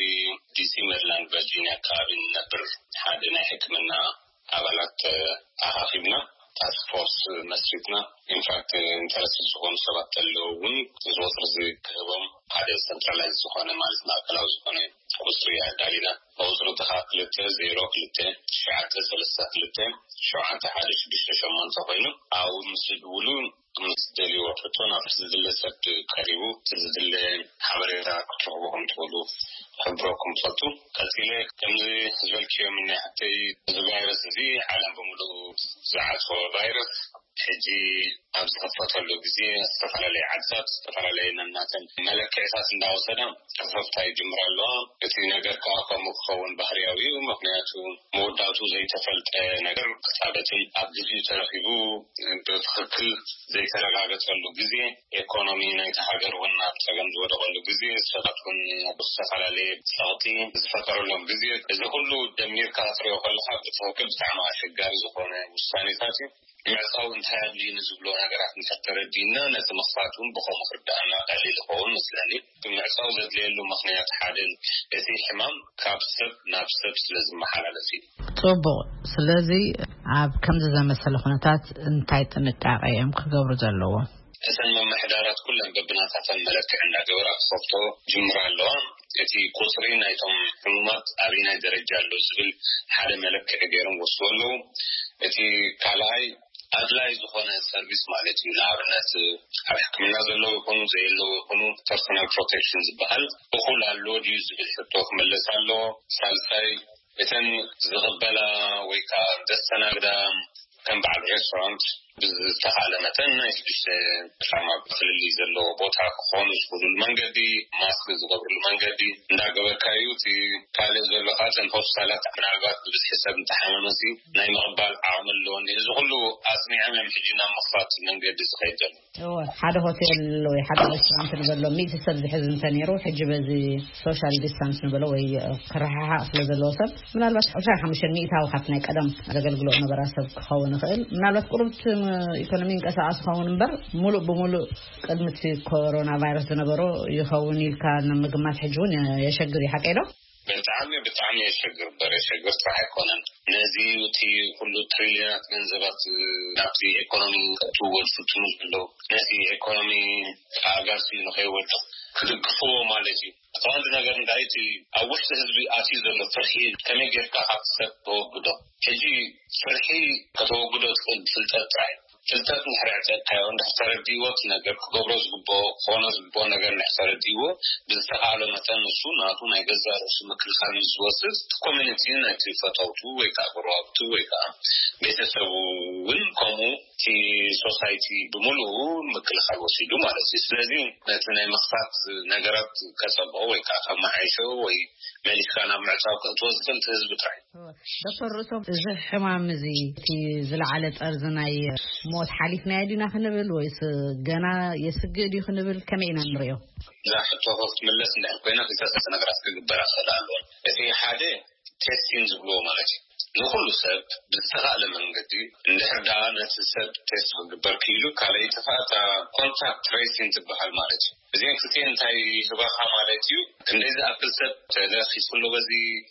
ዲሲ፣ ሜሪላንድ፣ ቨርጂኒያ ኣከባቢ ንነብር ሓደ ናይ ሕክምና ኣባላት ኣኻኺብና፣ ታስክ ፎርስ መስሪትና። ኢንፋክት፣ ኢንተረስትድ ዝኾኑ ሰባት ተለዉ እውን እዚ ቁፅሪ እዚ ክህቦም ሓደ ሰንትራላይዝ ዝኾነ፣ ማለት ማእከላዊ ዝኾነ ቁፅሪ ኣዳሊና። ቁፅሪ እቲ ከዓ ክልተ ዜሮ ክልተ ትሽዓተ ሰለስተ ክልተ ሸውዓተ ሓደ ሽዱሽተ ሸሞንተ ኮይኑ፣ ኣብኡ ምስ ዝድውሉ ምስ ደልይዎ ሕቶ ናብ ዝድለ ሰብ ቀሪቡ እቲ ዝድለ ሓበሬታ ክትረኽቡ ከም ትኽእሉ ክሕብረኩም ፈቱ። ቀፂለ ከምዚ ዝበልክዮ፣ ምናይ ሓተይ፣ እዚ ቫይረስ እዚ ዓለም ብምሉኡ ዝዓፅዎ ቫይረስ፣ ሕጂ ኣብ ዝኸፈተሉ ግዜ ዝተፈላለየ ዓድታት ዝተፈላለየ ነናተን መለክዕታት እንዳወሰዳ ክኸፍታ ይጅምራ ኣለዋ። እቲ ነገር ከዓ ከምኡ ክኸውን ባህርያዊ እዩ። ምክንያቱ መወዳእቱ ዘይተፈልጠ ነገር ክታበትን ኣብ ግዜኡ ተረኺቡ ብትኽክል ዘይተረጋገጸሉ ግዜ፣ ኢኮኖሚ ናይቲ ሃገር እውን ኣብ ጸገም ዝወደቐሉ ግዜ፣ ሰባት እውን ኣብ ዝተፈላለየ ጸቕጢ ዝፈጠረሎም ግዜ፣ እዚ ኩሉ ደሚርካ ክትሪኦ ከለኻ ብትኽክል ብጣዕሚ ኣሸጋሪ ዝኾነ ውሳኔታት እዩ። ምዕጻው እንታይ ኣድልዩ ንዝብሎ ነገራት እንድሕር ተረዲእና፣ ነቲ ምኽፋት እውን ብኸምኡ ክርድኣና ቀሊል ይኸውን መስለኒ። ምዕጻው ዘድልየሉ ምኽንያት ሓደ፣ እቲ ሕማም ካብ ሰብ ናብ ሰብ ስለ ዝመሓላለፍ እዩ። ጽቡቕ። ስለዚ ኣብ ከምዚ ዘመሰለ ኩነታት እንታይ ጥንቃቄ እዮም ክገብሩ ዘለዎም? እተን ምምሕዳራት ኩለን በብናታተን መለክዒ እንዳገበራ ክኸፍቶ ጅምራ ኣለዋ። እቲ ቁፅሪ ናይቶም ሕሙማት ኣበይናይ ደረጃ ኣሎ ዝብል ሓደ መለክዒ ገይሮም ወስዶ ኣለዉ። እቲ ካልኣይ ኣድላይ ዝኾነ ሰርቪስ ማለት እዩ። ንኣብነት ኣብ ሕክምና ዘለዉ ይኹኑ ዘየለዉ ይኹኑ ፐርሶናል ፕሮቴክሽን ዝበሃል እኹል ኣሎ ድዩ ዝብል ሕቶ ክምለስ ኣለዎ። ሳልሳይ እተን ዝቕበላ ወይ ከዓ ዘስተናግዳ ከም በዓል ሬስቶራንት ብዝተኻለ መጠን ናይ ሽዱሽተ ጫማ ፍልልይ ዘለዎ ቦታ ክኾኑ ዝኽእሉሉ መንገዲ፣ ማስክ ዝገብርሉ መንገዲ እንዳገበርካ እዩ። እቲ ካልእ ዘሎ ከዓ እተን ሆስፒታላት ምናልባት ብብዝሒ ሰብ እንተሓመመሲ ናይ ምቕባል ዓቕሚ ኣለዎ። እዚ ኩሉ ኣጽኒዖም እዮም ሕጂ ናብ ምኽፋት መንገዲ ዝኸይድ ዘሎ። እወ፣ ሓደ ሆቴል ወይ ሓደ ሬስቶራንት ንበሎ ሚእቲ ሰብ ዝሕዝ እንተነይሩ፣ ሕጂ በዚ ሶሻል ዲስታንስ ንበሎ ወይ ክረሓሓቕ ስለ ዘለዎ ሰብ፣ ምናልባት ዕስራን ሓሙሽተን ሚእታዊ ካብቲ ናይ ቀደም ዘገልግሎ ነበራ ሰብ ክኸውን ይኽእል። ምናልባት ቁሩብ እቲ ኢኮኖሚ ይንቀሳቐስ ክኸውን እምበር፣ ሙሉእ ብሙሉእ ቅድሚ እቲ ኮሮና ቫይረስ ዝነበሮ ይኸውን ኢልካ ንምግማት ሕጂ እውን የሸግር እዩ። ሓቀይ ዶ? ብጣዕሚ፣ ብጣዕሚ የሸግር እምበር፣ የሸግር ጥራሕ ኣይኮነን። ነዚ እቲ ኩሉ ትሪልዮናት ገንዘባት ናብቲ ኢኮኖሚ ከእትውዎ ዝፍትኑ ዘለዉ፣ ነቲ ኢኮኖሚ ኣጋሲ ንኸይወድቕ ክድግፍዎ ማለት እዩ። እቲ ቀንዲ ነገር እንታይ፣ እቲ ኣብ ውሽጢ ህዝቢ ኣትዩ ዘሎ ፍርሒ ከመይ ጌርካ ካብ ሰብ ተወግዶ? ሕጂ ፍርሒ ከተወግዶ ትኽእል ብፍልጠት ጥራይ። ፍልጠት እንድሕር ኣዕጢቕካዮ፣ እንድሕር ተረዲእዎ፣ እቲ ነገር ክገብሮ ዝግብኦ፣ ክኾኖ ዝግብኦ ነገር እንድሕር ተረዲእዎ፣ ብዝተኻእሎ መጠን ንሱ ናቱ ናይ ገዛእ ርእሱ ምክልኻል ምስ ዝወስድ፣ እቲ ኮሚኒቲ፣ ነቲ ፈተውቱ ወይ ከዓ ጎረባብቱ ወይ ከዓ ቤተሰቡ እውን ከምኡ፣ እቲ ሶሳይቲ ብምሉኡ ምክልኻል ወሲዱ ማለት እዩ። ስለዚ ነቲ ናይ ምኽፋት ነገራት ከጸብቖ ወይ ከዓ ከመሓይሾ ወይ መሊስካ ናብ ምዕጻው ከእትዎ ዝኽእል እቲ ህዝቢ ጥራይ። ዶክተር ርእሶም፣ እዚ ሕማም እዚ እቲ ዝለዓለ ጠርዚ ናይ ሞት ሓሊፍናዮ ዲና ክንብል ወይስ ገና የስግእ ድዩ ክንብል ከመይ ኢና ንሪኦ? እዛ ሕቶ ክትምለስ እንድሕር ኮይና ክልተ ነገራት ክግበራ ክኽእል ኣለወን። እቲ ሓደ ቴስቲንግ ዝብልዎ ማለት እዩ። ንኹሉ ሰብ ብዝተኻእለ መንገዲ እንድሕር ደኣ ነቲ ሰብ ቴስት ክግበር ክኢሉ፣ ካልኣይቲ ከዓ እታ ኮንታክት ትሬሲንግ ትበሃል ማለት እዩ። እዚአን ክልቲኤን እንታይ ይህባኻ ማለት እዩ? ክንደይ ዝኣክል ሰብ ተለኺሱ ኣሎ በዚ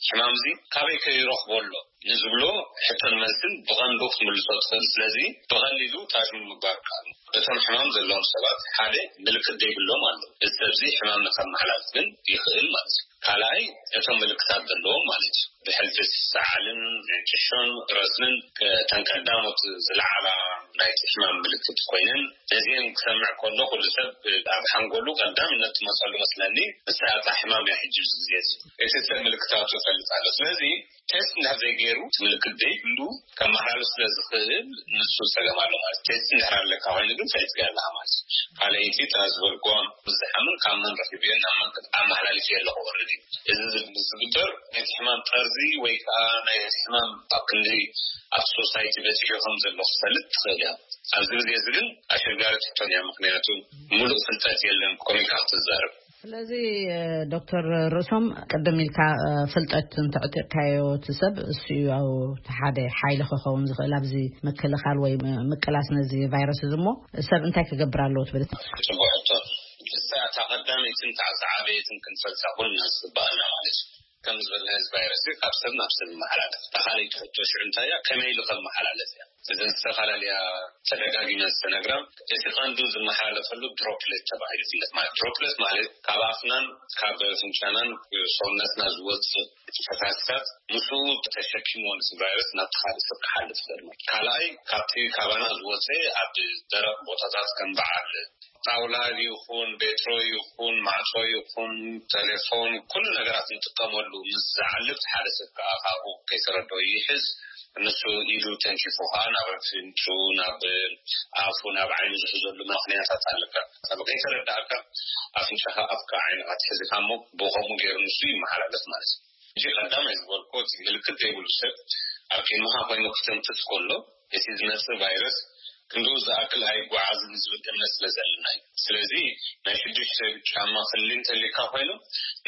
ሕማም እዚ፣ ካበይ ከ ይረኽቦ ኣሎ ንዝብሎ ሕቶን መልስን ብቐንዱ ክትምልሶ ትኽእል። ስለዚ ብቐሊሉ ታሽሙ ምግባር ከኣል። እቶም ሕማም ዘለዎም ሰባት ሓደ ምልክት ዘይብሎም ኣሎ። እዚ ሰብ እዚ ሕማም ንኸመሓላልፍ ግን ይኽእል ማለት እዩ። ካልኣይ እቶም ምልክታት ዘለዎም ማለት እዩ። ብሕልፊ ሰዓልን ዕንጭሾን ረስንን እተን ቀዳሞት ዝለዓላ ናይቲ ሕማም ምልክት ኮይነን፣ ነዚአን ክሰምዕ ከሎ ኩሉ ሰብ ኣብ ሓንጎሉ ቀዳምነት ትመፀሉ መስለኒ ንሳ እታ ሕማም እያ። ሕጂ ኣብዚ ግዜ እዚ እቲ ሰብ ምልክታቱ ይፈልጥ ኣሎ። ስለዚ ቴስት እንድሕር ዘይገይሩ እቲ ምልክት ዘይብሉ ከመሓላልፍ ስለ ዝኽእል ንሱ ፀገም ኣሎ ማለት። ቴስት እንድሕር ኣለካ ኮይኑ ግን ፈሊጥካ ኣለኻ ማለት እዩ። ካልኣይቲ እታ ዝበልክዋ ብዝሓምን ካብ መን ረኺብዮ ናብ መን ኣመሓላልፍ ኣለኹ ኦልሬዲ። እዚ ዝግበር ናይቲ ሕማም ጠርዚ ወይ ከዓ ናይ ሕማም ኣብ ክንዲ ኣብ ሶሳይቲ በፂሑ ከም ዘሎ ክፈልጥ ትኽእል እያ። ኣብዚ ግዜ እዚ ግን ኣሸጋሪት ሕቶን እያ፣ ምክንያቱ ሙሉእ ፍልጠት የለን ኮሚካ ክትዛረብ። ስለዚ ዶክተር ርእሶም፣ ቅድም ኢልካ ፍልጠት እንተዕጢቕካዮ እቲ ሰብ እሱ እዩ ኣብ ሓደ ሓይሊ ክኸውን ዝኽእል ኣብዚ ምክልኻል ወይ ምቅላስ ነዚ ቫይረስ እዚ እሞ፣ ሰብ እንታይ ክገብር ኣለዎ ትብል? ጽቡቅ ሕቶ። እሳ እታ ቀዳመይትን እታ ዝዓበየትን ክንፈልጣ ኩልና ዝግባኣና ማለት እዩ። ከም ዝበልና እዚ ቫይረስ እዚ ካብ ሰብ ናብ ሰብ ይመሓላለፍ። እታ ካልኣይቲ ሕቶ ሽዑ እንታይ እያ? ከመይ ኢሉ ከመሓላለፍ እያ። እዘን ዝተፈላለያ ተደጋጊመ ዝተነግራ፣ እቲ ቀንዱ ዝመሓላለፈሉ ድሮፕሌት ተባሂሉ ይፍለጥ። ማለት ድሮፕሌት ማለት ካብ ኣፍናን ካብ ፍንጫናን ሰውነትና ዝወፅእ ፈሳስታት ምስኡ ተሸኪሞ ነቲ ቫይረስ ናብቲ ካልእ ሰብ ክሓልፍ ይኽእል ማለት። ካልኣይ ካብቲ ካባና ዝወፀ ኣብ ደረቕ ቦታታት ከም በዓል ጣውላ ይኹን ቤትሮ ይኹን ማዕጾ ይኹን ቴሌፎን ኩሉ ነገራት እንጥቀመሉ ምስ ዝዓልብ ሓደ ሰብ ከዓ ካብኡ ከይተረድኦ ይሕዝ። ንሱ ኢዱ ተንኪፉ ከዓ ናብ ኣፍንጭኡ ናብ ኣፉ ናብ ዓይኑ ዝሕዘሉ ምክንያታት ኣለካ። ካብ ከይተረዳእካ ኣፍንጫኻ ኣፍካ ዓይንኻ ትሕዝካ እሞ ብኸምኡ ገይሩ ንሱ ይመሓላለፍ ማለት እዩ። እዚ ቀዳማይ ዝበልኮ እቲ ምልክት ዘይብሉ ሰብ ኣብ ቅድመኻ ኮይኑ ክትንፍስ ከሎ እቲ ዝመጽእ ቫይረስ ክንድኡ ዝኣክል ኣይጓዓዝን ዝብል እምነት ስለ ዘለና እዩ። ስለዚ ናይ ሽዱሽተ ጫማ ክሊ እንተሊካ ኮይኑ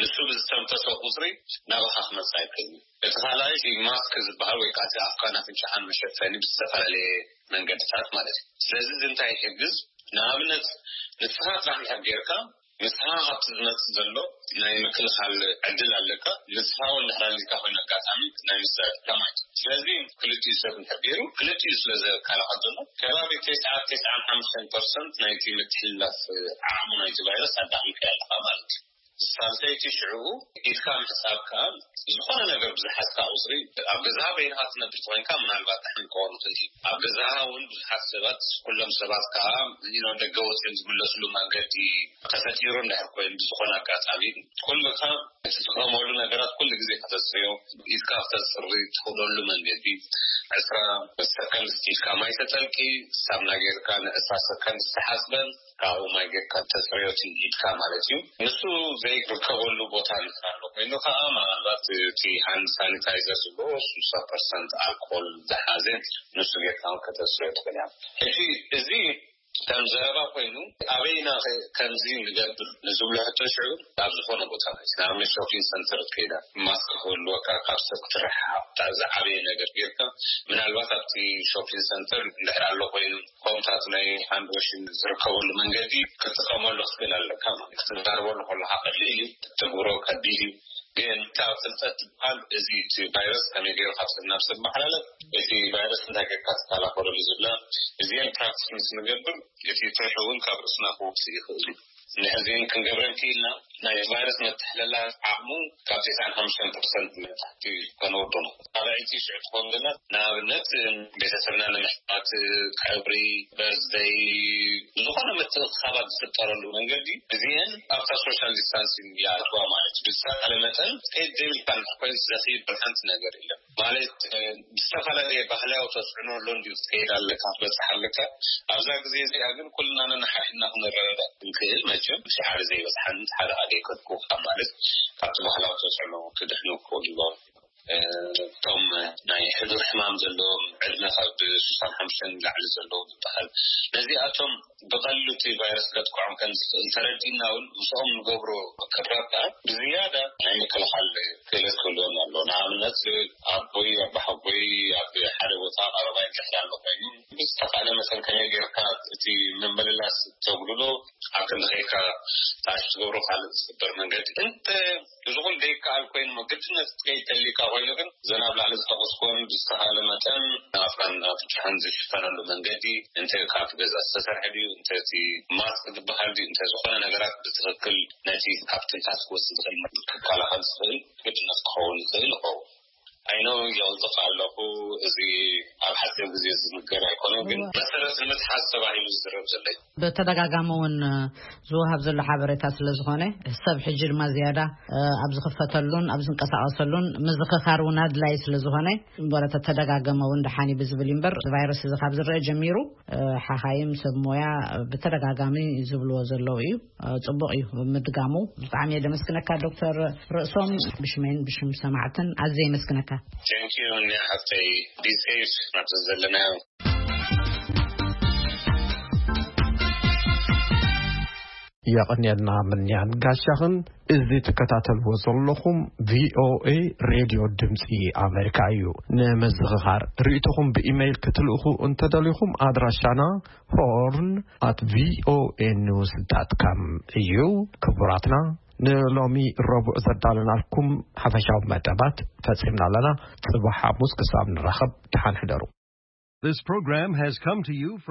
ንሱ ብዝተንፈሰ ቁፅሪ ናባኻ ክመፅእ ኣይክእልን እዩ። እቲ ካልኣይ እቲ ማስክ ዝበሃል ወይ ከዓ እቲ ኣፍካን ኣፍንጫኻን መሸፈኒ ብዝተፈላለየ መንገድታት ማለት እዩ። ስለዚ እዚ እንታይ ይሕግዝ? ንኣብነት ንስኻ ጥራሕ እንድሕር ጌርካ ንስኻ ካብቲ ዝመጽእ ዘሎ ናይ ምክልኻል ዕድል ኣለካ። ንስኻ እውን ድሕር ኣሊካ ኮይኑ ኣጋጣሚ ናይ ምስዛር ከማይ። ስለዚ ክልቲኡ ሰብ እንድሕር ገይሩ ክልቲኡ ስለ ዘከላኸል ዘሎ ከባቢ ተስዓ ተስዓን ሓሙሽተን ፐርሰንት ናይቲ ምትሕልላፍ ዓቕሚ ናይቲ ቫይረስ ኣዳኺምካ ኣለኻ ማለት እዩ። ሳልሰይቲ ሽዑ ኢድካ ምሕጻብ ከኣ ዝኾነ ነገር ብዝሓዝካ ቁጽሪ ኣብ ገዛኻ በይንኻ ትነብር ተኾይንካ ምናልባት ደሓን ክኸውን ይኽእል እዩ። ኣብ ገዛኻ እውን ብዙሓት ሰባት ኩሎም ሰባት ከኣ you know ደገ ወጺኦም ዝምለስሉ መንገዲ ተፈጢሩ እንድሕር ኮይኑ ብዝኾነ ኣጋጣሚ ኩልካ እትጥቀመሉ ነገራት ኩሉ ግዜ ከተጽርዮ ኢድካ ክተጽሪ ትኽእለሉ መንገዲ ዕስራ ሰከንድ ኢድካ ማይ ተጠልቂ ሳምና ጌርካ ንዕስራ ሰከንድ ዝተሓጽበን ካብኡ ማይ ጌርካ ተጽርዮ ኢድካ ማለት እዩ። ንሱ ዘይርከበሉ ቦታ እንድሕር ኣሎ ኮይኑ ከዓ ምናልባት እቲ ሃንድ ሳኒታይዘር ዝብሎ ስልሳ ፐርሰንት ኣልኮል ዝሓዘ ንሱ ጌርካ እውን ከተጽርዮ ትኽእል እያ። ሕጂ እዚ ከም ዘረባ ኮይኑ ኣበይና ከ ከምዚ ንገብር ንዝብሎ ሕቶ ሽዑ ኣብ ዝኾነ ቦታ ማለት ንኣብነት ሾፒንግ ሰንተር ከይዳ ማስክ ክህልወካ ካብ ሰብ ክትረሓሓቕ እታ ዝዓበየ ነገር ጌርካ ምናልባት ኣብቲ ሾፒንግ ሰንተር እንድሕር ኣሎ ኮይኑ ፎምታት ናይ ሃንድ ዋሽን ዝርከበሉ መንገዲ ክትጥቀመሉ ክትክእል ኣለካ ማለት ክትዛረበሉ ከለካ ቀሊል እዩ ክትትግብሮ ከቢድ እዩ። ግን ካብ ፍልጠት ዝበሃል እዚ እቲ ቫይረስ ከመይ ገይሩ ካብ ሰብ ናብ ሰብ መሓላለፍ እቲ ቫይረስ እንታይ ጌርካ ትከላኸለሉ ዝብላ እዚአን ፕራክቲስ ምስ ንገብር እቲ ፍርሒ እውን ካብ ርእስና ክወፅእ ይኽእል እዩ። ንሕዚን ክንገብረን ክኢልና ናይ ቫይረስ መተሕለላ ዓቕሙ ካብ ተስዓን ሓሙሽተን ፐርሰንት ንታሕቲ ከነወርዶ ንኽእል። ካልኣይቲ ሽዑ ትኸውን ዘለና ንኣብነት ቤተሰብና ንምሕታት ቀብሪ በርዝደይ ዝኾነ ምትእኽኻባት ዝፍጠረሉ መንገዲ እዚአን ኣብታ ሶሻል ዲስታንሲንግ ይኣትዋ ማለት እዩ። ብዝተኻለ መጠን ከይድ ዘይብልካ እንድሕር ኮይኑ ዘኽይድ ሓንቲ ነገር የለን ማለት ብዝተፈላለየ ባህላዊ ተፅዕኖ ኣሎ እንዲዩ ክትከይድ ኣለካ ክትበፅሕ ኣለካ። ኣብዛ ግዜ እዚኣ ግን ኩልና ነንሓድሕድና ክንረዳዳእ ክንክእል መቸም እቲ ሓደ ዘይበፅሓኒ እቲ ሓደ ኣደይ ከድኩ ካብ ማለት ካብቲ ባህላዊ ተፅዕኖ ክድሕኑ ክኽእሉ እቶም ናይ ሕዱር ሕማም ዘለዎም ዕድመ ካብ ስሳን ሓሙሽተን ንላዕሊ ዘለዎም ዝበሃል ነዚኣቶም ብቐሊሉ እቲ ቫይረስ ከጥቅዖም ከም ዝኽእል ተረዲእና እውን ምስኦም ንገብሮ ቅርራብ ከዓ ብዝያዳ ናይ ምክልኻል ክእለት ክህልዎም ኣሎ። ንኣብነት ኣቦይ ኣባሓጎይ ኣብ ሓደ ቦታ ቀረባይ እንድሕር ኣሎ ኮይኑ ብዝተኻእለ መጠን ከመይ ጌርካ እቲ ምምልላስ ተጉድሎ ኣብ ክንዲ ከይካ ታሽ ትገብሮ ካልእ ዝግበር መንገዲ እንተ እዚ ኩሉ ዘይከኣል ኮይኑ ግድነት ክትከይድ ተሊካ ኮይኑ ግን ዘን ኣብ ላዕሊ ዝጠቐስኩን ብዝተኻእለ መጠን ኣፍካን ኣፍንጫኻን ዝሽፈነሉ መንገዲ እንተ ካብ ገዛ ዝተሰርሐ ድዩ እንተ እቲ ማስክ ዝበሃል ድዩ እንተ ዝኾነ ነገራት ብትኽክል ነቲ ካብ ትንፋስ ክወፅእ ዝኽእል ክከላኸል ዝኽእል ግድነት ክኸውን ይኽእል ይኸውን። ኣይኖ የውፅቕ ኣለኹ። እዚ ኣብ ሓፂር ግዜ ዝንገር ኣይኮነን ግን መሰረት ንምትሓዝ ተባሂሉ ዝዝረብ ዘሎ እዩ። ብተደጋጋሚ እውን ዝወሃብ ዘሎ ሓበሬታ ስለ ዝኾነ ሰብ ሕጂ ድማ ዝያዳ ኣብ ዝኽፈተሉን ኣብ ዝንቀሳቐሰሉን ምዝኽኻር እውን ኣድላይ ስለ ዝኾነ እምበረ ተተደጋገመ እውን ደሓን እዩ ብዝብል እዩ እምበር ቫይረስ እዚ ካብ ዝረአ ጀሚሩ ሓኻይም ሰብ ሞያ ብተደጋጋሚ ዝብልዎ ዘለዉ እዩ። ጽቡቕ እዩ ምድጋሙ። ብጣዕሚ እየ ደመስግነካ ዶክተር ርእሶም። ብሽመይን ብሽም ሰማዕትን ኣዝየ የመስግነካ። Thank you ኒያ ሓፍተይ። Be safe ናብቲ ዘለናዮ። የቐንየልና ምንያን ጋሻኽን። እዚ ትከታተልዎ ዘለኹም ቪ ኦ ኤ ሬድዮ ድምፂ ኣሜሪካ እዩ። ንምዝኽኻር ርእይቶኹም ብኢመይል ክትልእኹ እንተደሊኹም ኣድራሻና ሆርን ኣት ቪ ኦ ኤ ኒውስ ዳት ካም እዩ። ክቡራትና ንሎሚ ረቡዕ ዘዳለናልኩም ሓፈሻዊ መደባት ፈጺምና ኣለና። ጽባሕ ሓሙስ ክሳብ ንራኸብ ደሓን ሕደሩ። This program has come to you from